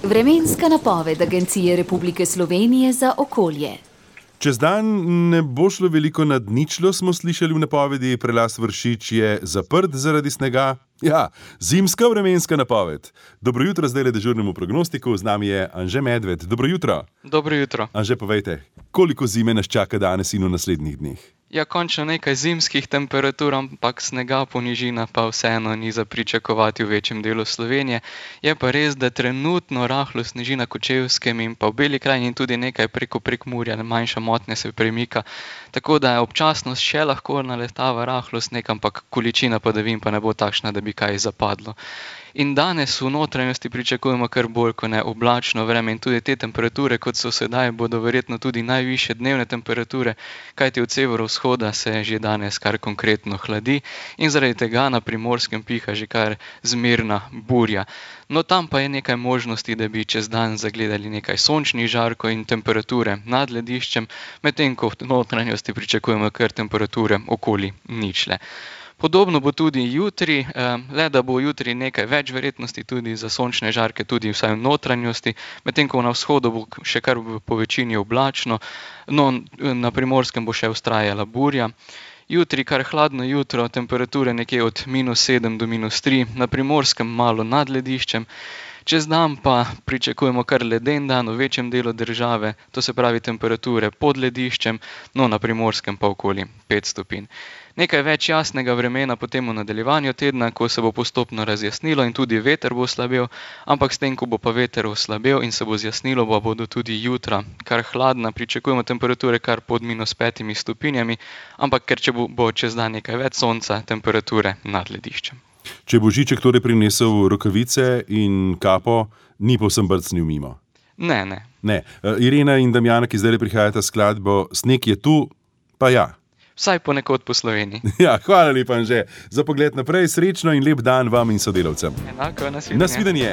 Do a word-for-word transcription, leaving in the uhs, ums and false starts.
Vremenska napoved Agencije Republike Slovenije za okolje. Čez dan ne bo šlo veliko nad ničlo, smo slišali v napovedi. Prelaz Vršič je zaprt zaradi snega. Ja, zimska vremenska napoved. Dobro jutro zdajle dežurnemu prognostiku, z nami je Anže Medved. Dobro jutro. Dobro jutro. Anže, povejte, koliko zime nas čaka danes in v naslednjih dneh? Ja, končno nekaj zimskih temperatur, ampak snega po nižinah pa vseeno ni za pričakovati v večjem delu Slovenije. Je pa res, da trenutno rahlo sneži na Kočevskem in pa v Beli krajini in tudi nekaj preko Prekmurja, manjša motnja se premika. Tako da je občasnost še lahko naletava rahlo sneg, ampak količina padavin pa ne bo takšna, da bi kaj zapadlo. In danes v notranjosti pričakujemo kar bolj kot ne oblačno vreme in tudi te temperature, kot so sedaj, bodo verjetno tudi najvišje dnevne temperature, kajti od severovzhoda se že danes kar konkretno hladi in zaradi tega na Primorskem piha že kar zmerna burja. No, tam pa je nekaj možnosti, da bi čez dan zagledali nekaj sončnih žarkov in temperature nad lediščem, medtem ko v notranjosti pričakujemo kar temperature okoli ničle. Podobno bo tudi jutri, le da bo jutri nekaj več verjetnosti tudi za sončne žarke, tudi vsaj v notranjosti, medtem ko na vzhodu bo še kar po večini oblačno, no na Primorskem bo še vztrajala burja. Jutri kar hladno jutro, temperature nekje od minus sedem do minus tri, na Primorskem malo nad lediščem. Čez dan pa pričakujemo kar leden dan v večjem delu države, to se pravi temperature pod lediščem, no na Primorskem pa okoli pet stopinj. Nekaj več jasnega vremena potem v nadaljevanju tedna, ko se bo postopno razjasnilo in tudi veter bo slabel, ampak s tem, ko bo pa veter oslabel in se bo zjasnilo, pa bodo tudi jutra kar hladna, pričakujemo temperature kar pod minus petimi stopinjami, ampak ker če bo, bo čez dan nekaj več sonca, temperature nad lediščem. Če bo Žiček torej prinesel rokavice in kapo, ni povsem brcnil mimo? Ne, ne. Ne. Irena in Damjana, ki zdaj prihajata skladbo Sneg je tu, pa ja. Vsaj ponekod po Sloveniji. Ja, hvala lepa, Anže. Za pogled naprej, srečno in lep dan vam in sodelavcem. Enako, nasvidenje. Nasvidenje.